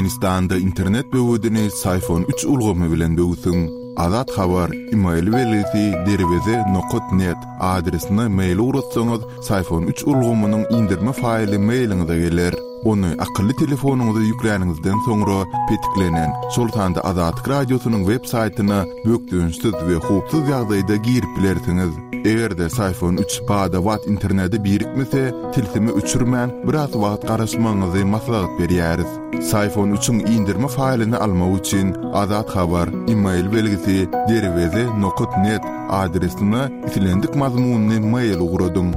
Türkmenistanda internet böwedini Syfon üç ulgamy bilen böwsüň. Azat Habar, email belgisi derweze nokat net adresine mail ugratsaňyz, Syfon üç ulgamynyň indirme faýly mailiňize geler. Ony akylly telefonyňyza ýükläniňizden soňra petiklenen, şol sanda Azatlyk Radiosynyň web saýtyna bökdençsiz we howpsuz ýagdaýda girip bilersiňiz. Eger-de Syfon üç bada-bat internete birikmese, tilsimi öçürmän, biraz wagt garaşmagyňyzy maslahat berýäris. Syfon üçiň indirme faýlyny almak üçin Azat Habar, email belgisi, derweze nokat net adresine islendik mazmunly mail ugradyň.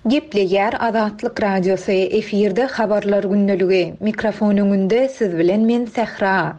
Gepleýär Azatlyk Radiosy, efirde Habarlar gündeligi. Mikrofon öňünde siz bilen men Sähra.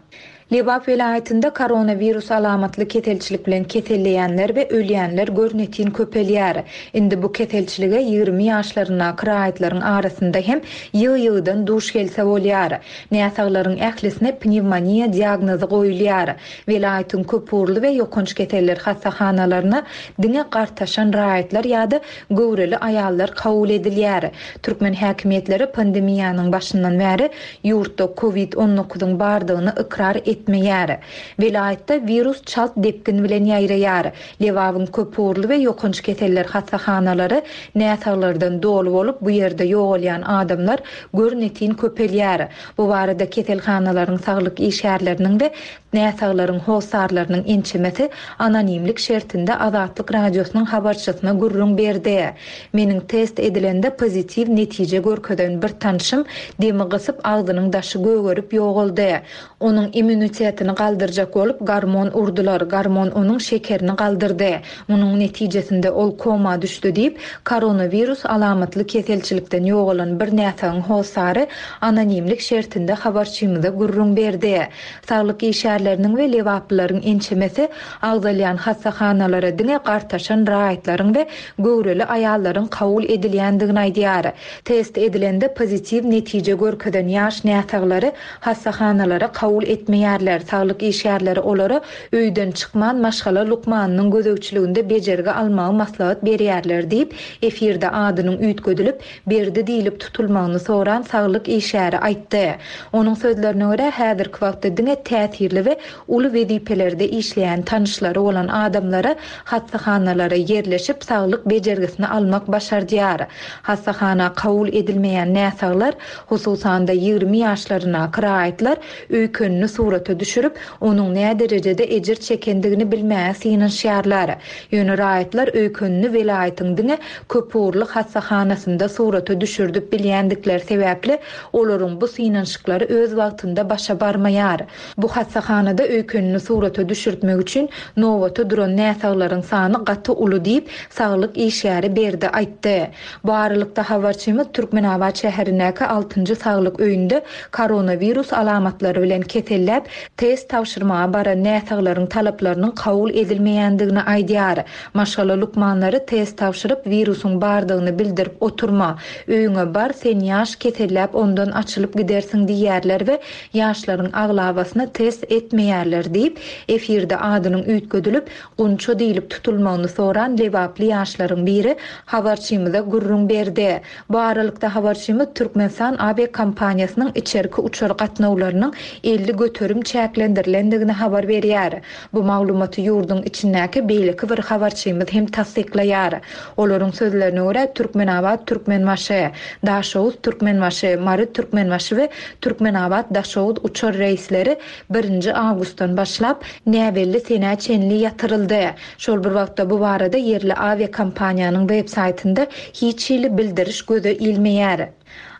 Lebap welaýatynda koronawirus alamatly keselçilik bilen keselleýänler we ölýänler görnetin köpelýär. Indi bu keselçilige 20 ýaşlaryndaky raýatlaryň arasynda hem ýygy-ýygydan duş gelse bolýar. Näsaglaryň ählisine pnewmoniýa diagnozy goýulýar. Welaýatyň köpugurly we ýokanç keseller hassahanalaryna diňe gartaşan raýatlar ýa-da göwreli aýallar kabul edilýär. Türkmen häkimiýetleri pandemiýanyň başyndan bäri ýurtda covid on dokuzyň bardygyny ykrar etmeýär. Welaýatda wirus çalt depgin bilen ýaýraýar. Lebabyň köpugurly we ýokanç keseller hassahanalary näsaglardan doly bolup, bu ýerde ýogalýan adamlar görnetin köpelýär. Bu barada keselhanalaryň saglyk işgärleriniň we Näsaglaryň hossarlarynyň ençemesi anonimlik şertinde Azatlyk Radiosynyň habarçysyna gürrüň berdi. Meniň test edilende pozitiw netije görkezen bir tanşym demi gysyp agzynyň daşy gögerip ýogaldy. Onuň immunitetini galdyrjak bolup gormon urdular, gormon onuň şekerini galdyrdy. Munuň netijesinde ol koma düşdi diýip, koronawirus alamatly keselçilikden ýogalan bir näsagyň hossary anonimlik şertinde habarçymyza gürrüň berdi. Saglyk işgärleriniň we lebaplylaryň ençemesi agzalýan hassahanalara diňe gartaşan raýatlaryň we göwreli aýallaryň kabul edilýändigini aýdýar. Test edilende pozitiw netije görkezen ýaş näsaglary hassahanalara kabul etmeýärler, saglyk işgärleri olara öýden çykman maşgala lukmanynyň gözegçiliginde bejergi almagy maslahat berýärler diýip, efirde adynyň üýtgedilip, Berdi diýlip tutulmagyny soran saglyk işgäri aýtdy. Onuň sözlerine görä, häzirki wagtda diňe täsirli we uly wezipelerde işleýän tanyşlary bolan adamlara hassahanalara ýerleşip saglyk bejergisini almak başardýar. Hassahana kabul edilmeýän näsaglar, hususan-da 20 ýaşlaryndaky raýatlar öýkenini surata düşürip, onuň näderejede ejir çekendigini bilmäge synanyşýarlar. Ýöne raýatlar öýkenini welaýatyň diňe köpugurly hassahanasynda surata düşürdip bilýändikleri sebäpli, olaryň bu synanyşyklary öz wagtynda başa barmaýar. Bu hassahanada öýkenini surata düşürtmek üçin nobata duran näsaglaryň sany gaty uly diýip, saglyk işgäri Berdi aýtdy. Bu aralykda, habarçymyz Türkmenabat şäherindäki altynjy saglyk öýünde koronawirus alamatlary bilen keselläp, test tabşyrmaga baran näsaglaryň talaplarynyň kabul edilmeýändigini aýdýar. Maşgala lukmanlary test tabşyryp, wirusyň bardygyny bildirip oturma, öýüňe bar, sen ýaş, keselläp ondan açylyp gidersiň diýýärler we ýaşlaryň aglabasyny test etmeýärler diýip, efirde adynyň üýtgedilip, Gunça diýlip tutulmagyny soran lebaply ýaşlaryň biri habarçymyza gürrüň berdi. Bu aralykda habarçymyz Türkmenistan awiakompaniýasynyň içerki uçar gatnawlarynyň 50% çäklendirilendigini habar berýär. Bu maglumaty ýurduň içindäki beýleki bir habarçymyz hem tassyklaýar. Olaryň sözlerine görä, Türkmenabat, Türkmenbaşy, Daşoguz, Türkmenbaşy, Mary, Türkmenbaşy we Türkmenabat, Daşoguz uçar reýsleri birinji awgustdan başlap, näbelli senä çenli ýatyryldy. Şol bir wagtda bu barada ýerli awiakompaniýanyň web saýtynda hiç hili bildiriş göze ilmeýär.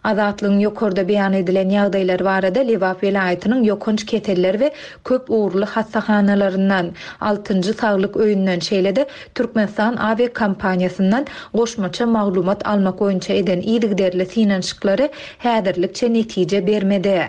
Azatlygyň ýokarda beýan edilen ýagdaýlar barada Lebap welaýatynyň ýokanç keseller we köp ugurly hassahanalaryndan, Altynjy saglyk öýünden, şeýle-de Türkmenistan awiakompaniýasyndan goşmaça maglumat almak boýunça eden yzygiderli synanyşyklary häzirlikçe netije bermedi.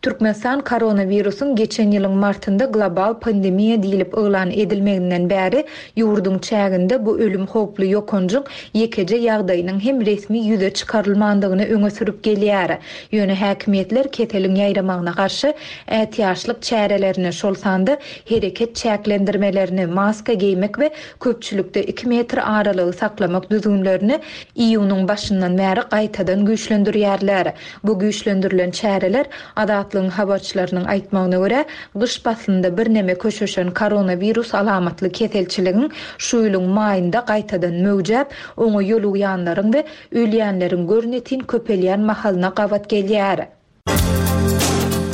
Türkmenistan koronawirusyň geçen ýylyň martynda global pandemiýa diýlip yglan edilmeginden bäri ýurduň çäginde bu ölüm howply ýokanjyň ýekeje ýagdaýynyň hem resmi ýüze çykarylmandygyny öňe sürüp. köpelip gelýär. Ýöne häkimiýetler keseliň ýaýramagyna garşy ätiýaçlyk çärelerini, şol sanda hereket çäklendirmelerini, maska geýmek we köpçülikde iki metr aralygy saklamak düzgünlerini iýunyň başyndan bäri gaýtadan güýçlendirýärler. Bu güýçlendirilen çäreler, Azatlygyň habarçylarynyň aýtmagyna görä, gyş paslynda birneme köşeşen koronawirus alamatly keselçiligiň şu ýylyň maýynda gaýtadan möwjäp, oňa ýolugýanlaryň we ölýänleriň görnetin köpelýän mahalyna gabat gelýär.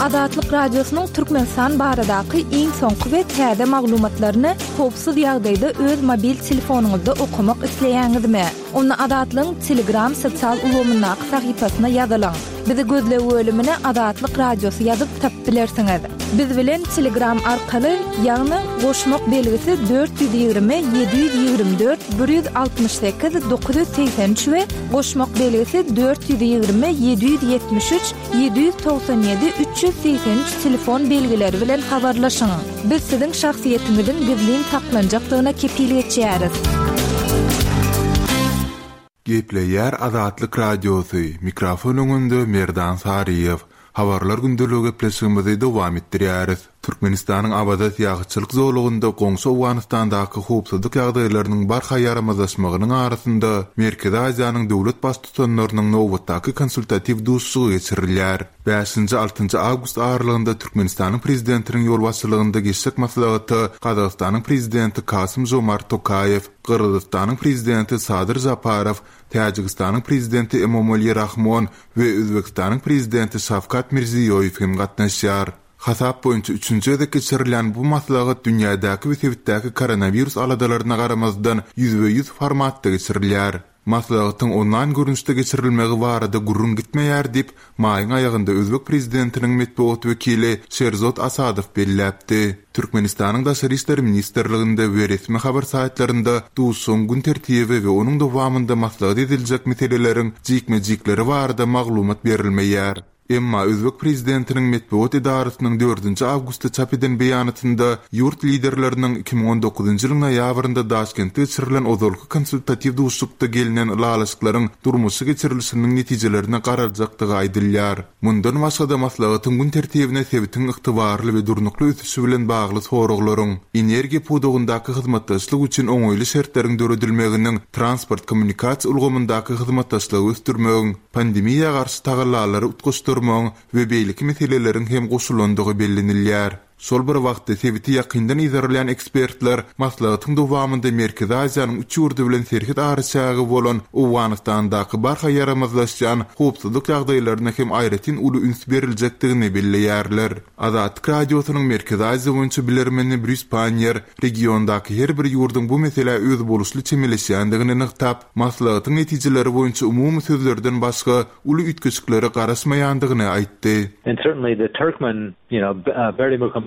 Azatlyk Radiosynyň Türkmenistan baradaky iň soňky we täze maglumatlaryny howpsuz ýagdaýda öz mobil telefonyňyzda okamak isleýäňizmi? Onda Azatlygyň Telegram sosial ulgamyndaky sahypasyna ýazylyň. Bizi gözleg bölümine Azatlyk Radiosy ýazyp tapyp bilersiňiz. Biz bilen Telegram arkaly, ýagny goşmak belgisi 420 724 168 983 we goşmak belgisi 420 773 797 383 telefon belgileri bilen habarlaşyň. Biz siziň şahsyýetiňiziň gizlin saklanjakdygyna kepil geçýäris. Gepleýär Azatlyk Radiosy, mikrofon öňünde Merdan Saryýew. Habarlar gündeligi gepleşigimizi dowam etdirýäris. Türkmenistanyň Awaza syýahatçylyk zolagynda goňşy Owganystandaky howpsuzlyk ýagdaýlarynyň barha ýaramazlaşmagynyň arasynda Merkezi Aziýanyň döwlet Baştutanlarynyň nobatdaky konsultatiw duşuşygy geçirilýär. Bäşinji-altynjy awgust aralygynda Türkmenistanyň Prezidentiniň ýolbaşçylygynda geçjek maslahata Gazagystanyň Prezidenti Kasym-Žomart Tokaýew, Gyrgyzystanyň Prezidenti Sadyr Žaparow, Täjigistanyň Prezidenti Emomali Rahmon we Özbegistanyň Prezidenti Şawkat Mirziýoýew hem gatnaşýar. Hasap boýunça üçünji gezek geçirilýän bu maslahat dünýädäki we sebitdäki koronawirus aladalaryna garamazdan ýüzbe-ýüz formatda geçirilýär. Maslahatyň onlaýn görnüşde geçirilmegi barada gürrüň gitmeýär diýip, maýyň aýagynda özbek prezidentiniň metbugat wekili Şerzod Asadow belläpdi. Türkmenistanyň Daşary işler ministrliginde we resmi habar saýtlarynda duşuşygyň gün tertibi we onuň dowamynda maslahat ediljek meseleleriň jikme-jikleri barada maglumat berilmeýär. Emma özbek prezidentiniň metbugat edarasynyň dördünji awgustda çap eden beýanatynda ýurt liderleriniň 2019-njy ýylyň noýabrynda Daşkentde geçirilen ozalky konsultatiw duşuşykda gelnen ylalaşyklaryň durmuşa geçirilişiniň netijelerine garaljakdygy aýdylýar. Mundan başga-da maslahatyň gün tertibine sebitiň ygtybarly we durnukly ösüşi bilen bagly soraglaryň, energiýa pudagyndaky hyzmatdaşlyk üçin oňaýly şertleriň döredilmeginiň, transport-kommunikasiýa ulgamyndaky hyzmatdaşlygy ösdürmegiň, pandemiýa garşy tagallalary utgaşdyrmagyň we beýleki meseleleriň hem goşulandygy bellenilýär. Şol bir wagtda, sebiti ýakyndan yzarlaýan ekspertler maslahatyň dowamynda Merkezi Aziýanyň üç ýurdy bilen serhet araçägi bolan Owganystandaky barha ýaramazlaşýan howpsuzlyk ýagdaýlaryna hem aýratyn uly üns beriljekdigini belleýärler. Azatlyk Radiosynyň Merkezi Aziýa boýunça bilermeni Brýus Panniýer regiondaky her bir ýurduň bu meselä özboluşly çemeleşýändigini nygtap, Maslahatyň netijeleri boýunça umumy sözlerden başga uly üýtgeşiklere garaşmaýandygyny aýtdy. And certainly the Turkmen, you know, Berdimuhamedow,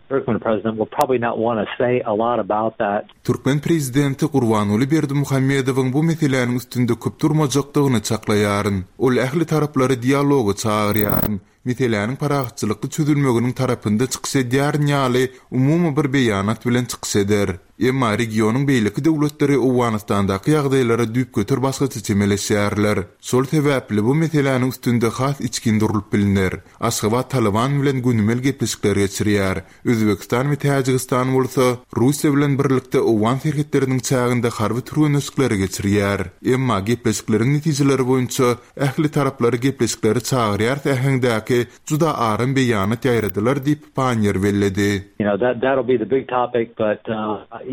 Turkmen president will probably not want to say a lot about that. Türkmen prezidenti Gurbanguly Berdimuhamedowyň bu meseläniň üstünde köp durmajakdygyny çaklaýaryn. Ol ähli taraplary dialoga çagyrýaryn. meseläniň parahatçylykly çözülmeginiň tarapynda çykyş edýärin ýaly umumy bir beýanat bilen çykyş eder. Emma regionyň beýleki döwletleri Owganystandaky ýagdaýlara düýpgöter başgaça çemeleşýärler. Şol sebäpli bu meseläniň üstünde has içgin durlup bilner. Aşgabat Talyban bilen gönümel gepleşikler geçirýär. Özbegistan we Täjigistan bolsa Russiýa bilen birlikde owgan serhetleriniň çäginde harby türgenleşikleri geçirýär. Emma gepleşikleriň netijeleri boýunça ähli taraplary gepleşiklere çagyrýarys äheňdäki juda aram beýanat ýaýradylar diýip, Panniýer belledi. You know, that that'll be the big topic, but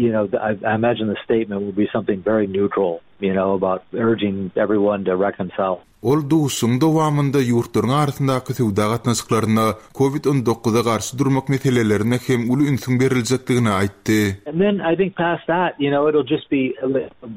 you know, I imagine the statement will be something very neutral, you know, about urging everyone to reconcile. Ol duşuşygyň dowamynda ýurtlaryň arasyndaky söwda gatnaşyklaryna, Covid on dokuza garşy durmak meselelerine hem uly ünsüň beriljekdigini aýtdy. And then I think past that, you know, it'll just be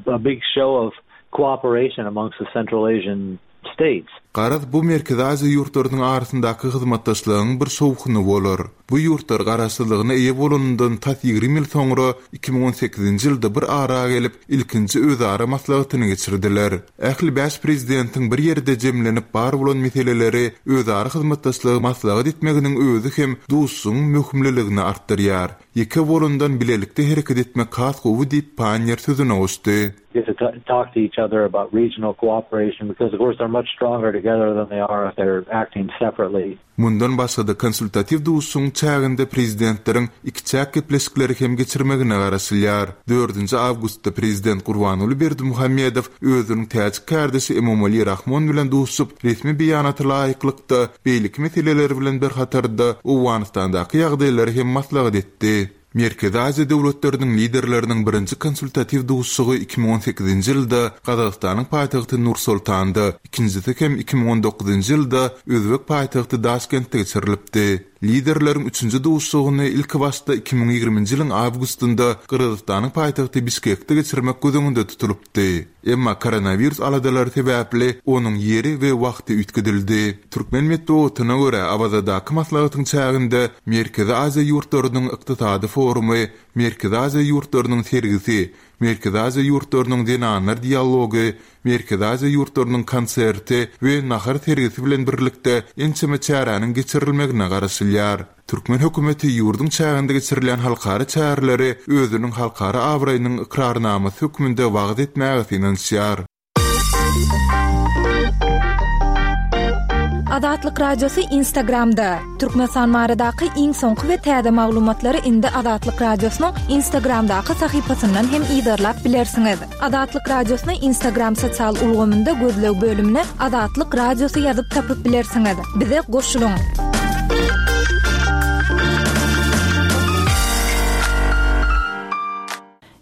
a big show of cooperation amongst the Central Asian states. Garaz, bu Merkezi Aziýa ýurtlarynyň arasyndaky hyzmatdaşlygyň bir şowhuny bolar. Bu ýurtlar garaşsyzlygyna eýe bolanyndan tas 20 ýyl soňra, 2018-nji ýylda bir ara gelip, ilkinji özara maslahatyny geçirdiler. Ähli bäş prezidentiň bir ýerde jemlenip bar bolan meseleleri özara hyzmatdaşlygy maslahat etmeginiň özi hem duşuşygyň möhümliligini artdyrýar. Ýeke bolandan bilelikde hereket etmek has gowy diýip, Panniýer sözüne goşdy. Get to talk to each other about regional cooperation because of course they're much stronger together than they are if they're acting separately. Mundan başga-da konsultatiw duşuşygyň çäginde prezidentleriň ikiçäk gepleşikleri hem geçirmegine garaşylýar. Dördünji awgustda prezident Gurbanguly Berdimuhamedow özüniň täjik kärdeşi Emomali Rahmon bilen duşuşyp, resmi beýanata laýyklykda, beýleki meseleler bilen bir hatarda Owganystandaky ýagdaýlary hem maslahat etdi. Merkezi Aziýa döwletleriniň Liderleriniň birinji konsultatiw duşuşygy 2018-nji ýylda Gazagystanyň paýtagty Nur-Sultanda, ikinjisi hem 2019-njy ýylda özbek paýtagty Daşkentde geçirilipdi. Liderleriň üçünji duşuşygyny ilkibaşda 2020-nji ýylyň awgustynda Gyrgyzystanyň paýtagty Bişkekde geçirmek göz öňünde tutulypdy. Emma koronawirus aladalary sebäpli onuň ýeri we wagty üýtgedildi. Türkmen metbugatyna görä, Awazadaky maslahatyň çäginde Merkezi Aziýa ýurtlarynyň ykdysady forumy, Merkezi Aziýa ýurtlarynyň sergisi, Merkezi Aziýa ýurtlarynyň zenanlar dialogy, Merkezi Aziýa ýurtlarynyň konserti we nahar sergisi bilen birlikde ençeme çäräniň geçirilmegine garaşylýar. Türkmen hökümeti ýurduň çäginde geçirilýän halkara çäreleri özüniň halkara abraýynyň ykrarnamasy hökmünde wagyz etmäge synanyşýar. Azatlyk Radiosy Instagramda, Türkmenistan baradaky iň soňky we täze maglumatlary indi Azatlyk Radiosynyň Instagramdaky sahypasyndan hem yzarlap bilersiňiz. Azatlyk Radiosyny Instagram sosial ulgamynda gözleg bölümine Azatlyk Radiosy ýazyp tapyp bilersiňiz. Bize goşulyň!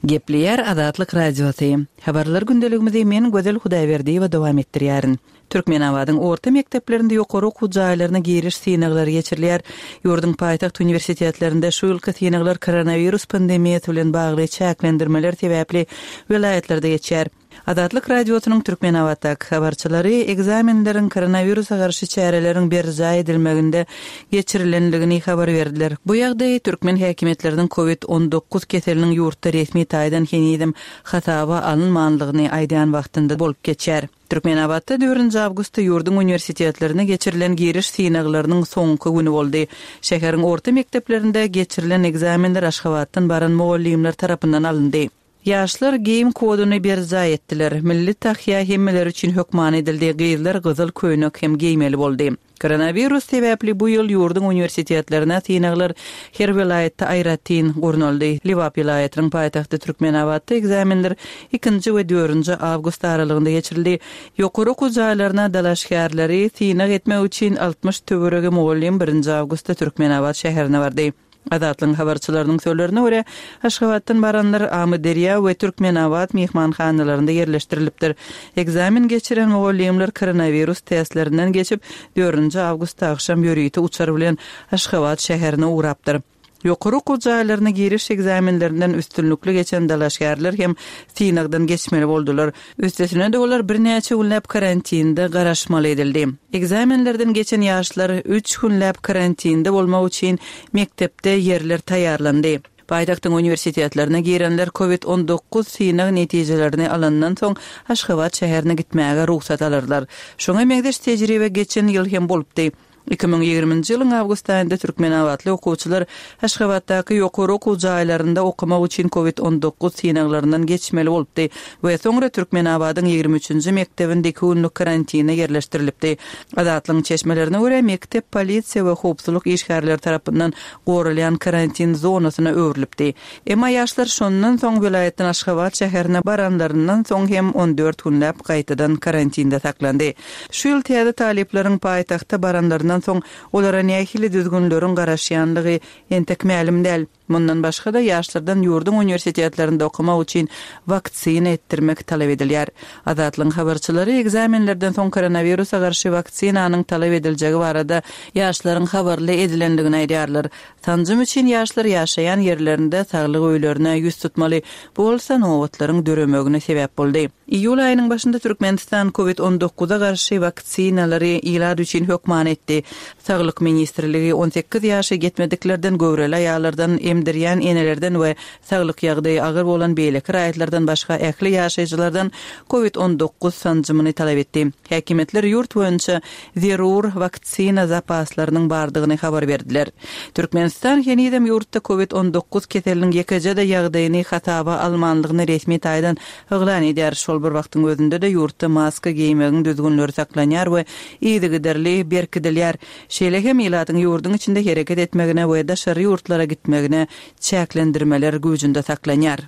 Gepleýär Azatlyk Radiosy. Habarlar gündeligimizi men Gözel Hudaýberdiýewa dowam etdirýärin. Türkmenabadyň orta mekdeplerinde ýokary okuw jaýlaryna giriş synaglary geçirilýär. Ýurduň paýtagt uniwersitetlerinde şu ýylky synaglar koronawirus pandemiýasy bilen bagly çäklendirmeler sebäpli welaýatlarda geçýär. Azatlyk Radiosynyň Türkmenabatdaky habarçylary ekzamenleriň koronawirusa garşy çäreleriň berjaý edilmeginde geçirilendigini habar berdiler. Bu ýagdaý türkmen häkimiýetleriniň covid 19 keseliniň ýurtda resmi taýdan henizem hasaba alynmanlygyny aýdýan wagtynda bolup geçýär. Türkmenabatda dördünji awgustda ýurduň uniwersitetlerine geçirilen giriş synaglarynyň soňky güni boldy. Şäheriň orta mekdeplerinde geçirilen ekzamenler Aşgabatdan baran mugallymlar tarapyndan alyndy. Ýaşlar geýim koduny berjaý etdiler. Milli tahýa hemmeler üçin hökmany edildi, gyzlar gyzyl köýnek hem geýmeli boldy. Koronawirus sebäpli bu ýyl ýurduň uniwersitetlerine synaglar her welaýatda aýratyn gurnaldy. Lebap welaýatynyň paýtagty Türkmenabatda ekzamenler ikinji we dördünji awgust aralygynda geçirildi. Ýokary okuw jaýlaryna dalaşgärleri synag etmek üçin 60 töweregi mugallym birinji awgustda Türkmenabat şäherine bardy. Azatlygyň habarçylarynyň sözlerine görä, Aşgabatdan baranlar Amyderýa we Türkmenabat myhmanhanalarynda ýerleşdirilipdir. Ekzamen geçiren mugallymlar koronawirus testlerinden geçip, dördünji awgustda agşam ýörite uçar bilen Aşgabat şäherine ugrapdyr. Ýokary okuw jaýlaryna giriş ekzamenlerinden üstünlikli geçen dalaşgärler hem synagdan geçmeli boldular. Üstesine-de olar birnäçe günläp karantinde garaşmaly edildi. Ekzamenlerden geçen ýaşlar üç günläp karantinde bolmak üçin mekdepde ýerler taýýarlandy. Paýtagtyň uniwersitetlerine girenler covid 19 synag netijelerini alandan soň Aşgabat şäherine gitmäge rugsat alarlar. Şuňa meňzeş tejribe geçen ýyl hem bolupdy. 2020-nji ýylyň awgust aýynda türkmenabatly okuwçylar Aşgabatdaky ýokary okuw jaýlarynda okamak üçin covid 19 synaglaryndan geçmeli bolupdy we soňra Türkmenabadyň ýigrimi üçünji mekdebinde iki günlük karantine ýerleşdirilipdi. Azatlygyň çeşmelerine görä, mekdep polisiýa we howpsuzlyk işgärleri tarapyndan goralýan karantin zonasyna öwrülipdi. Emma ýaşlar şondan soň welaýatdan Aşgabat şäherine baranlaryndan soň hem on dört günläp gaýtadan karantinde saklandy. Şu ýyl täze talyplaryň paýtagta baranlaryndan soň olara nähili düzgünleriň garaşýanlygy entek mälim däl. Mundan başga-da, ýaşlardan ýurduň uniwersitetlerinde okamak üçin waksina etdirmek talap edilýär. Azatlygyň habarçylary ekzamenlerden soň koronawirusa garşy waksinanyň talap ediljegi barada ýaşlaryň habarly edilendigini aýdýarlar. Sanjym üçin ýaşlar ýaşaýan ýerlerinde saglyk öýlerine ýüz tutmaly. Bu bolsa nobatlaryň döremegine sebäp boldy. Iýul aýynyň başynda Türkmenistan Covid on dokuza garşy waksinalary ilat üçin hökmany etdi. Saglyk ministrligi 18 ýaşa ýetmediklerden, göwreli aýallardan, emdirýän enelerden we saglyk ýagdaýy agyr bolan beýleki raýatlardan başga ähli ýaşaýjylardan Covid 19 sanjymyny talap etdi. Häkimiýetler ýurt boýunça zerur waksina zapaslarynyň bardygyny habar berdiler. Türkmenistan henizem ýurtda Covid 19 keseliniň ýekeje-de ýagdaýyny hasaba almanlygyny resmi taýdan yglan edýär. Şol bir wagtyň özünde-de ýurtda maska geýmegiň düzgünleri saklanýar we yzygiderli berkidilýär. Şeýle hem ilatyň ýurduň içinde hereket etmegine we daşary ýurtlara gitmegine çäklendirmeler güýjünde saklanýar.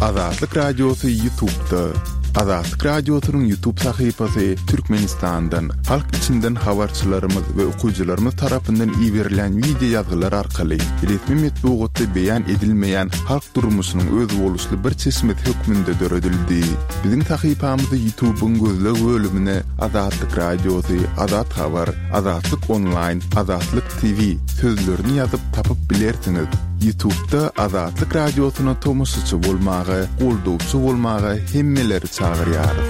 Azatlyk Radiosy Ýutubda. Azatlyk Radiosynyň Ýutub sahypasy Türkmenistandan, halk içinden habarçylarymyz we okyjylarymyz tarapyndan iberilýän wideo ýazgylar arkaly resmi metbugatda beýan edilmeýän halk durmuşynyň özboluşly bir çeşmesi hökmünde döredildi. Biziň sahypamyzy Ýutubyň gözleg bölümine Azatlyk Radiosy, Azat Habar, Azatlyk Onlaýn, Azatlyk TV sözlerini ýazyp tapyp bilersiňiz. Ýutubda Azatlyk Radiosyna tomaşaçy bolmaga, goldawçy bolmaga hemmeleri çagyrýarys.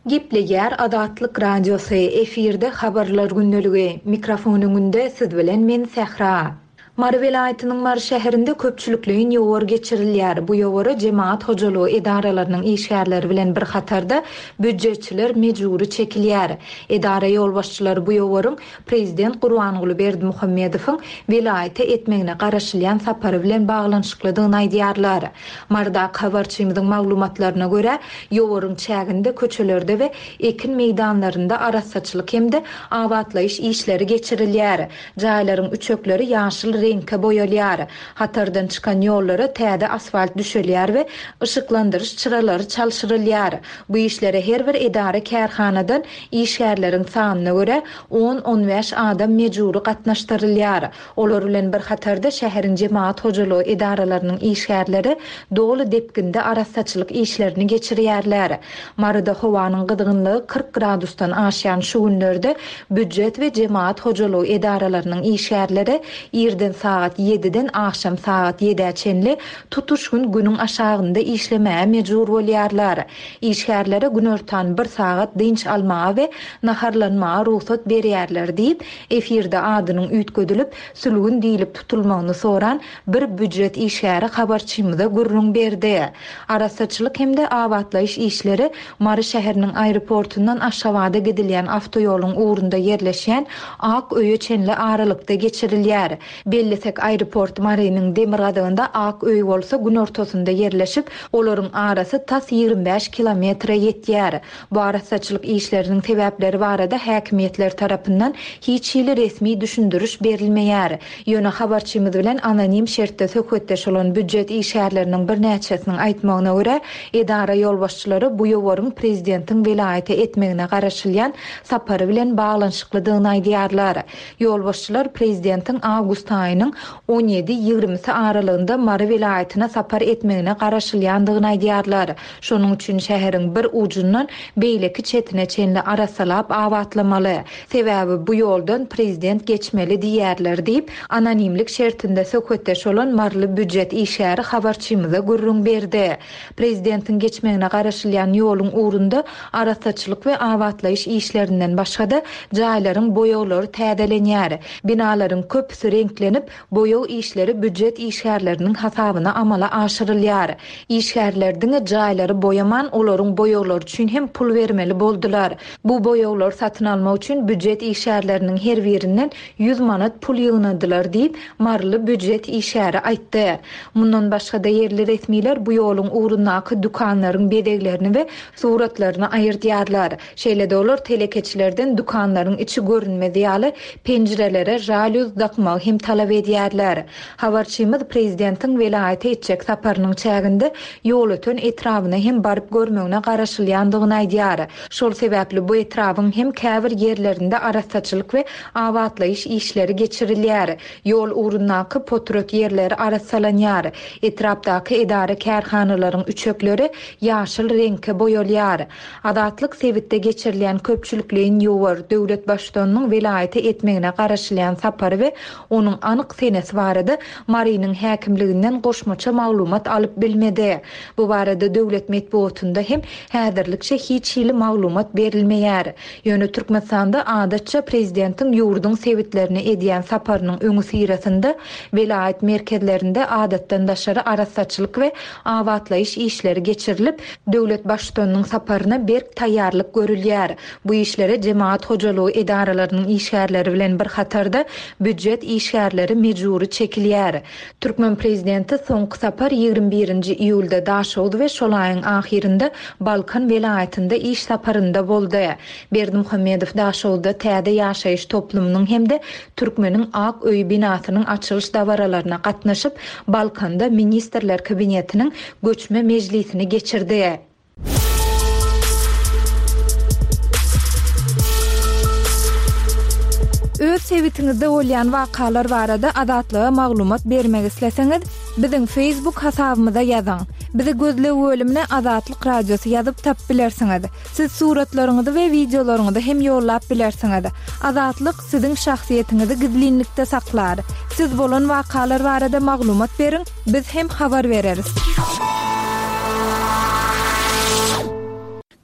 Gepleýär Azatlyk Radiosy, efirde Habarlar gündeligi, mikrofon öňünde siz bilen men Sähra. Mary welaýatynyň Mary şäherinde köpçülikleýin ýowar geçirilýär. Bu ýowara jemagat hojalygy edaralarynyň işgärleri bilen bir hatarda býujetçiler mejbury çekilýär. Edara ýolbaşçylary bu ýowaryň prezident Gurbanguly Berdimuhamedowyň welaýata etmegine garaşylýan sapary bilen baglanyşyklydygyny aýdýarlar. Marydaky habarçymyzyň maglumatlaryna görä, ýowaryň çäginde köçelerde we ekin meýdanlarynda arassaçylyk hem-de abatlaýyş işleri geçirilýär. Jaýlaryň üçekleri ýaşyl reňke boýalýar. Hatardan çykan ýollara täze asfalt düşelýär we yşyklandyryş çyralary çalşyrylýar. Bu işlere her bir edara-kärhanadan işgärleriň sanyna görä on-on bäş adam mejbury gatnaşdyrylýar. Olar bilen bir hatarda şäheriň jemagat hojalygy edaralarynyň işgärleri doly depginde arassaçylyk işlerini geçirýärler. Maryda howanyň gyzgynlygy 40 gradusdan aşýan şu günlerde býujet we jemagat hojalygy edaralarynyň işgärleri irden sagat ýediden agşam sagat ýedä çenli tutuş gün günüň aşagynda işlemäge mejbur bolýarlar. Işgärlere günortan bir sagat dynç almaga we naharlanmaga rugsat berýärler diýip, efirde adynyň üýtgedilip, Sülgün diýlip tutulmagyny soran bir býujet işgäri habarçymyza gürrüň berdi. Arassaçylyk hem-de abatlaýyş işleri Mary şäheriniň aeroportundan Aşgabada gidilýän awtoýoluň ugrunda ýerleşýän Ak öýe çenli aralykda geçirilýär. Bellesek, aeroport Marynyň demirgazygynda, Ak öý bolsa günortasynda ýerleşip, olaryň arasy tas 25 kilometre ýetýär. Bu arassaçylyk işleriniň sebäpleri barada häkimiýetler tarapyndan hiç hili resmi düşündiriş berilmeýär. Ýöne habarçymyz bilen anonim şertde söhbetdeş bolan býujet işgärleriniň birnäçesiniň aýtmagyna görä, edara ýolbaşçylary bu ýowaryň prezidentiň welaýata etmegine garaşylýan sapary bilen baglanyşyklydygyny aýdýarlar. Ýolbaşçylar prezidentiň awgust aýynyň on ýedi, ýigrimisi aralygynda Mary welaýatyna sapar etmegine garaşylýandygyny aýdýarlar. Şonuň üçin şäheriň bir ujundan beýleki çetine çenli arassalap abatlamaly. Sebäbi bu ýoldan prezident geçmeli diýýärler diýip, anonimlik şertinde söhbetdeş bolan maryly býujet işgäri habarçymyza gürrüň berdi. Prezidentiň geçmegine garaşylýan ýoluň ugrunda arassaçylyk we abatlaýyş işlerinden başga-da, jaýlaryň boýaglary täzelenýär. Binalaryň köpüsi reňklenip, boýag işleri býujet işgärleriniň hasabyna amala aşyrylýar. Işgärler diňe jaýlary boýaman, olaryň boýaglary üçin hem pul bermeli boldular. Bu boýaglary satyn almak üçin býujet işgärleriniň her birinden 100 manat pul ýygnadylar diýip, maryly býujet işgäri aýtdy. Mundan başga-da, ýerli resmiler bu ýoluň ugrundaky dükanlaryň bezeglerini we suratlaryny aýyrdýarlar. Şeýle-de olar telekeçilerden dükanlaryň içi görünmez ýaly penjirelere žalýuz dakmagy hem talap. talap edýärler. Habarçymyz prezidentiň welaýata etjek saparynyň çäginde Ýolöten etrabyna hem baryp görmegine garaşylýandygyny aýdýar. Şol sebäpli bu etrabyň hem käbir ýerlerinde arassaçylyk we abatlaýyş işleri geçirilýär. Ýol ugrundaky potrat ýerleri arassalanýar. Etrapdaky edara-kärhanalaryň üçekleri ýaşyl reňke boýalýar. Azatlyk sebitde geçirilýän köpçülikleýin ýowar, döwlet Baştutanynyň welaýata etmegine garaşylýan sapary we onuň anyk senesi barada Marynyň häkimliginden goşmaça maglumat alyp bilmedi. Bu barada döwlet metbugatynda hem häzirlikçe hiç hili maglumat berilmeýär. Ýöne Türkmenistanda adatça prezidentiň ýurduň sebitlerine edýän saparynyň öňüsyrasynda welaýat merkezlerinde adatdan daşary arassaçylyk we abatlaýyş işleri geçirilip, döwlet Baştutanynyň saparyna berk taýýarlyk görülýär. Bu işlere jemagat hojalygy edaralarynyň işgärleri bilen bir hatarda býujet işgärleri mejbury çekilýär. Türkmen prezidenti soňky sapar 21 nji iýulda Daşoguz we şol aýyň ahyrynda Balkan welaýatynda iş saparynda boldy. Berdimuhamedow Daşoguzda täze ýaşaýyş toplumynyň hem-de Türkmeniň ak öýi binasynyň açylyş dabaralaryna gatnaşyp, Balkanda Ministrler Kabinetiniň göçme mejlisini geçirdi. Öz sebitiňizde bolýan wakalar barada Azatlyga maglumat bermek isleseňiz, biziň Facebook hasabymyza ýazyň. Bizi gözleg bölümine Azatlyk Radiosy ýazyp tapyp bilersiňiz. Siz suratlaryňyzy we wideolaryňyzy hem ýollap bilersiňiz. Azatlyk siziň şahsyýetiňizi gizlinlikde saklar. Siz bolan wakalar barada maglumat beriň, biz hem habar bereris.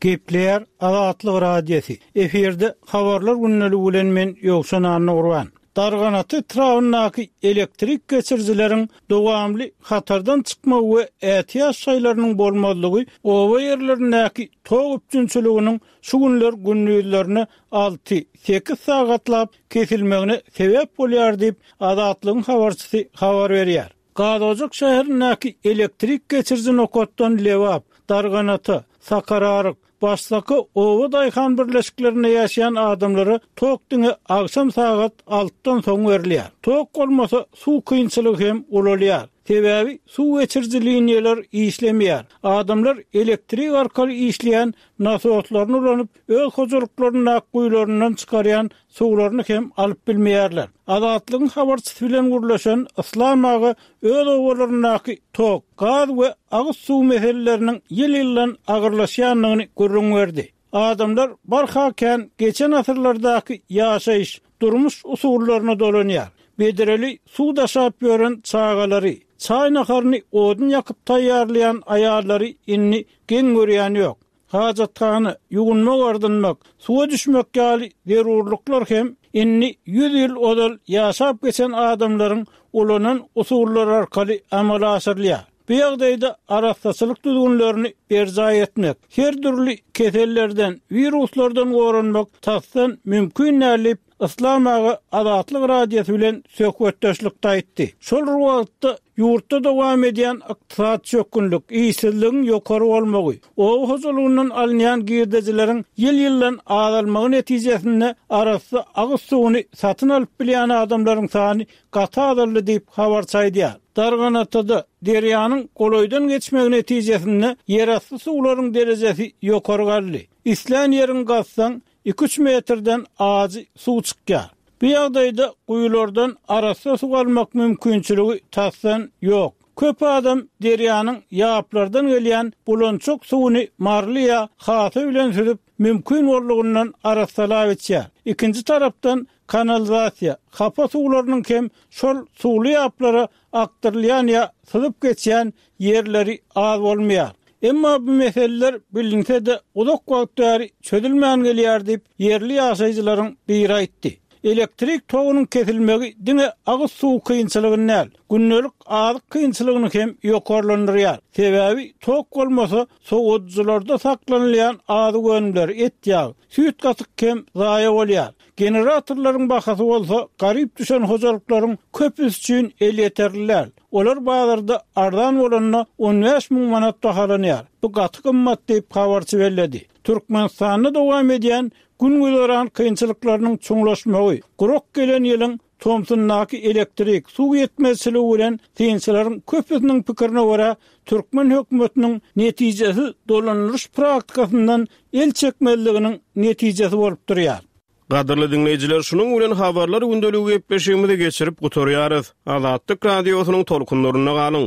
Gepleýär Azatlyk Radiosy. Efirde Habarlar gündeligi bilen men Ýowşan Annagurban. Darganata etrabyndaky elektrik geçirijileriň dowamly hatardan çykmagy we ätiýaç şaýlarynyň bolmazlygy oba ýerlerindäki tok üpjünçiliginiň şu günler gündizlerine alty, sekiz sagatlap kesilmegine sebäp bolýar diýip, Azatlygyň habarçysy habar berýär. Gazojak şäherindäki elektrik geçiriji nokatdan Lebap, Darganata, Sakararyk, Başsaka oba daýhan birleşiklerinde ýaşaýan adamlara tok diňe agşam sagat altydan soň berilýär. Tok bolmasa, suw kynçylygy hem ulalýar. Sebäbi suw geçiriji liniýalar işlemeýär. Adamlar elektrik arkaly işleýän nasoslaryny ulanyp, öz hojalyklaryndaky guýularyndan çykarýan suwlaryny hem alyp bilmeýärler. Azatlygyň habarçysy bilen gürleşen Yslam aga öz obalaryndaky tok, gaz we agyz suw meseleleriniň ýyl-ýyldan agyrlaşýandygyny gürrüň berdi. Adamlar barha kän geçen asyrlardaky ýaşaýyş, durmuş usullaryna dolanýar. Bedreli suw daşap ýören çagalary, çaý-naharyny odun ýakyp taýýarlaýan aýallary indi geň görýän ýok. Hajathana, ýuwunmak-ardynmak, suwa düşmek ýaly zerurlyklar hem indi ýüz ýyl ozal ýaşap geçen adamlaryň ulanan usullary arkaly amala aşyrylýar. Bu ýagdaýda arassaçylyk düzgünlerini berjaý etmek, her dürli kesellerden, wiruslardan goranmak tasdan mümkin däl diýip, Yslam aga Azatlyk Radiosy bilen söhbetdeşlikde aýtdy. Şol bir wagtda, ýurtda dowam edýän ykdysady çökgünlik, işsizligiň ýokary bolmagy, oba hojalygyndan alynýan girdejileriň ýyl-ýyldan azalmagy netijesinde arassa agyz suwuny satyn alyp bilýän adamlaryň sany gaty azaldy diýip, habarçy aýdýar. Darganatada derýanyň golaýdan geçmegi netijesinde ýerasty suwlaryň derejesi ýokary galdy. Islän ýeriňi gazsaň, Iki-üç metrden ajy suw çykýar. Bu ýagdaýda guýulardan arassa suw almak mümkinçiligi tasdan ýok. Köp adam derýanyň ýaplardan gelýän bulançak suwuny marly ýa hasa bilen süzüp, mümkin boldugyndan arassalap içýär. Ikinji tarapdan, kanalizasiýa, hapa suwlarynyň hem şol suwly ýaplara akdyrylýan ýa syzyp geçýän ýerleri az bolmaýar. Emma bu meseleler bilinse-de uzak wagt bäri çözülmän gelýär diýip, ýerli ýaşaýjylaryň biri aýtdy. Elektrik togunyň kesilmegi diňe agyz suwy kynçylygyny däl, gündelik azyk kynçylygyny hem ýokarlandyrýar. Sebäbi tok bolmasa, sowadyjylarda saklanylýan azyk önümleri, et-ýag, süýt-gatyk hem zaýa bolýar. Generatorlaryň bahasy bolsa garyp düşen hojalyklaryň köpüsi üçin elýeterli däl. Olar bazarda arzan bolanda 15 müň manat bahalanýar. Bu gaty gymmat diýip, habarçy belledi. Türkmenistanda dowam edýän gün-güzeran kynçylyklarynyň çuňlaşmagy, gurak gelen ýylyň. Tomsundaky elektrik, suw ýetmezçiligi bilen synçylaryň köpüsiniň pikirine görä, türkmen hökümetiniň netijesiz dolandyryş praktikasyndan el çekmezliginiň netijesi bolup durýar. Gadyrly diňleýjiler, şunuň bilen Habarlar gündeligi gepleşigimizi geçirip gutarýarys. Azatlyk Radiosynyň tolkunlarynda galyň!